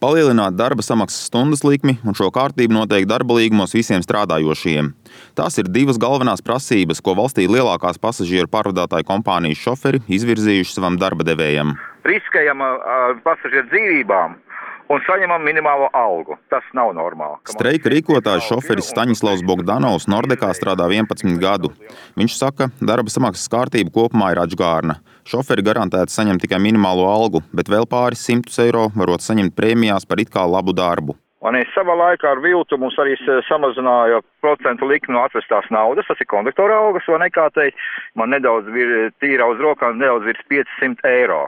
palielināt darba samaksas stundas likmi un šo kārtību noteikti darba līgumos visiem strādājošajiem. Tās ir divas galvenās prasības, ko valstī lielākās pasažieru pārvadātāju kompānijas šoferi izvirzījuši savam darba devējam. Riskējam pasažieru dzīvībām un saņemam minimālo algu. Tas nav normāli. Streika rīkotājs šoferis Staņislavs Bogdanovs Nordekā strādā 11 gadu. Viņš saka, darba samaksas kārtība kopumā ir atžgārna. Šoferi garantēti saņem tikai minimālo algu, bet vēl pāris 100 eiro varot saņemt prēmijās par it kā labu darbu. Un savā laikā ar viltu mums arī samazināja procentu likmi no atvestās naudas, tas ir konduktora algas, vai nekā teikt. Man nedaudz tīra uz rokām, nedaudz virs 500 eiro.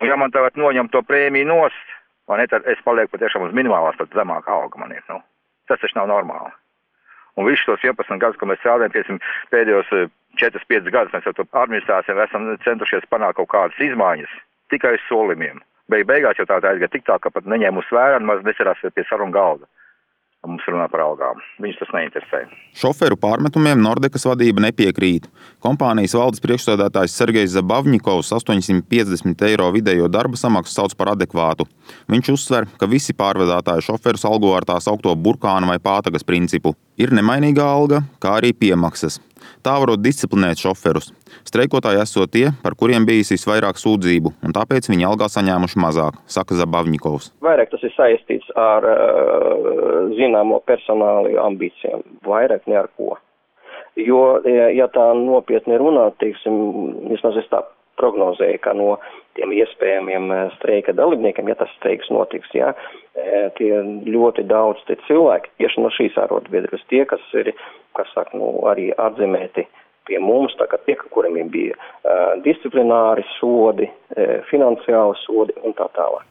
Un ja man tagad noņem to prēmiju nost, tad es palieku patiešām uz minimālās, tad zemāka alga man ir. Tas taču nav normāli. Un visus tos 11 gadus, ko mēs strādājam, pēdējos 4-5 gadus, mēs ar to administrācijām esam centušies panākt kaut kādas izmaiņas tikai uz solījumiem. Beigās jau tā aizgāja tik tā, ka pat neņēma uz vērā un maz necerās pie sarunu galda. Mums runā par algām. Viņus tas neinteresē. Šoferu pārmetumiem Nordekas vadība nepiekrīt. Kompānijas valdes priekšsēdētājs Sergejs Zabavņikovs 850 eiro vidējo darba samaksu sauc par adekvātu. Viņš uzsver, ka visi pārvadātāji šoferus algo ar tā saukto burkānu vai pātagas principu. Ir nemainīgā alga, kā arī piemaksas. Tā varot disciplinēt šoferus. Streikotāji esot tie, par kuriem bijis visvairāk sūdzību, un tāpēc viņi algā saņēmuši mazāk, saka Zabavņikovs. Vairāk tas ir saistīts ar zināmo personāli ambīcijām, vairāk ne ar ko. Jo, ja tā nopietni runā, vismaz es tā prognozēju, ka no tiem iespējamiem streika dalībniekiem, ja tas streiks notiks, tie ļoti daudz cilvēki tieši no šīs arotbiedrības, tie, kas ir, arī atzīmēti pie mums, tā kā tie, kuriem bija disciplināri sodi, finansiāli sodi un tā tālāk.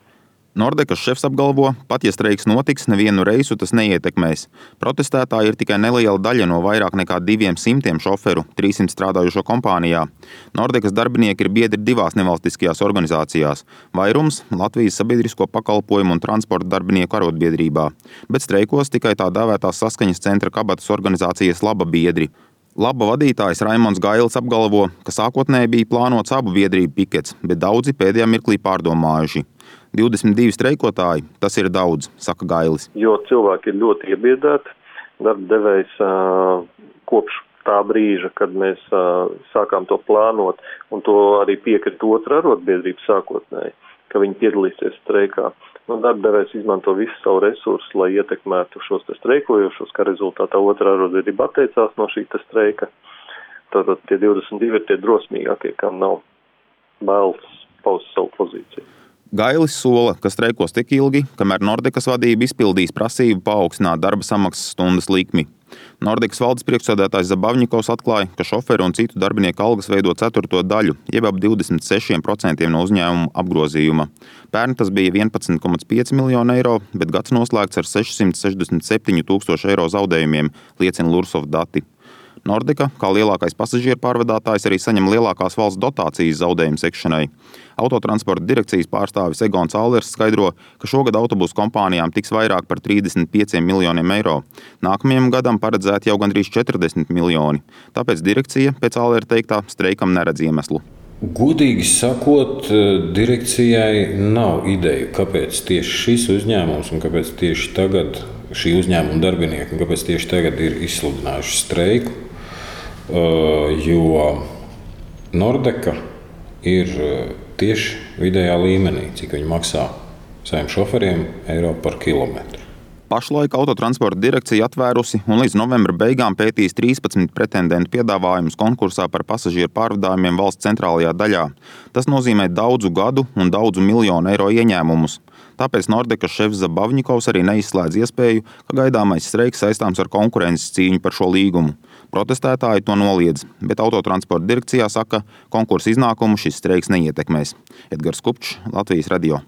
Nordekas šefs apgalvo, pat ja streiks notiks, nevienu reisu tas neietekmēs. Protestētāji ir tikai neliela daļa no vairāk nekā 200 šoferu 300 strādājušo kompānijā. Nordekas darbinieki ir biedri divās nevalstiskajās organizācijās – vairums Latvijas sabiedrisko pakalpojumu un transporta darbinieku arotbiedrībā, bet streikos tikai tā dēvētās saskaņas centra kabatas organizācijas Laba biedri. Laba vadītājs Raimonds Gailis apgalvo, ka sākotnēji bija plānots abu biedrību pikets, bet daudzi pēdējā mirklī pārdomājuši. 22 streikotāji, tas ir daudz, saka Gailis. Jo cilvēki ir ļoti iebiedēti, darba devējs kopš tā brīža, kad mēs sākām to plānot, un to arī piekrita otra arotbiedrība sākotnēji, ka viņi piedalīsies streikā. Darba devējs izmanto visu savu resursu, lai ietekmētu šos streikojošos, kā rezultātā otrā arotbiedrība atteicās no šī streika. Tātad tie 22 ir tie drosmīgākie, kam nav bailes paust savu pozīciju. Gailis sola, ka streikos tik ilgi, kamēr Nordekas vadība izpildīs prasību paaugstināt darba samaksas stundas likmi. Nordekas valdes priekšsēdētājs Zabavņikovs atklāja, ka šoferu un citu darbinieku algas veido 4. daļu, jeb ap 26% no uzņēmuma apgrozījuma. Pērn tas bija 11,5 miljonu eiro, bet gads noslēgts ar 667 000 eiro zaudējumiem, liecina Lursov dati. Nordeka, kā lielākais pasažieru pārvadātājs, arī saņem lielākās valsts dotācijas zaudējumu sekšanai. Autotransporta direkcijas pārstāvis Egons Allers skaidro, ka šogad autobusu kompānijām tiks vairāk par 35 miljoniem eiro. Nākamajam gadam paredzēti jau gandrīz 40 miljoni. Tāpēc direkcija, pēc Allera teiktā, streikam neredz iemeslu. Godīgi sakot, direkcijai nav ideju, kāpēc tieši šis uzņēmums un kāpēc tieši tagad šī uzņēmuma darbinieki un kāpēc tieši tagad ir izsludinājuši streiku. Jo Nordeka ir tieši vidējā līmenī, cik viņi maksā saviem šoferiem eiro par kilometru. Pašlaik Autotransporta direkcija atvērusi un līdz novembra beigām pētīs 13 pretendentu piedāvājumus konkursā par pasažieru pārvadājumiem valsts centrālajā daļā. Tas nozīmē daudzu gadu un daudzu miljonu eiro ieņēmumus. Tāpēc Nordekas šefs Zabavņikovs arī neizslēdz iespēju, ka gaidāmais streiks saistāms ar konkurences cīņu par šo līgumu. Protestētāji to noliedz, bet Autotransporta direkcijā saka, konkursa iznākumu šis streiks neietekmēs. Edgars Kupčs, Latvijas radio.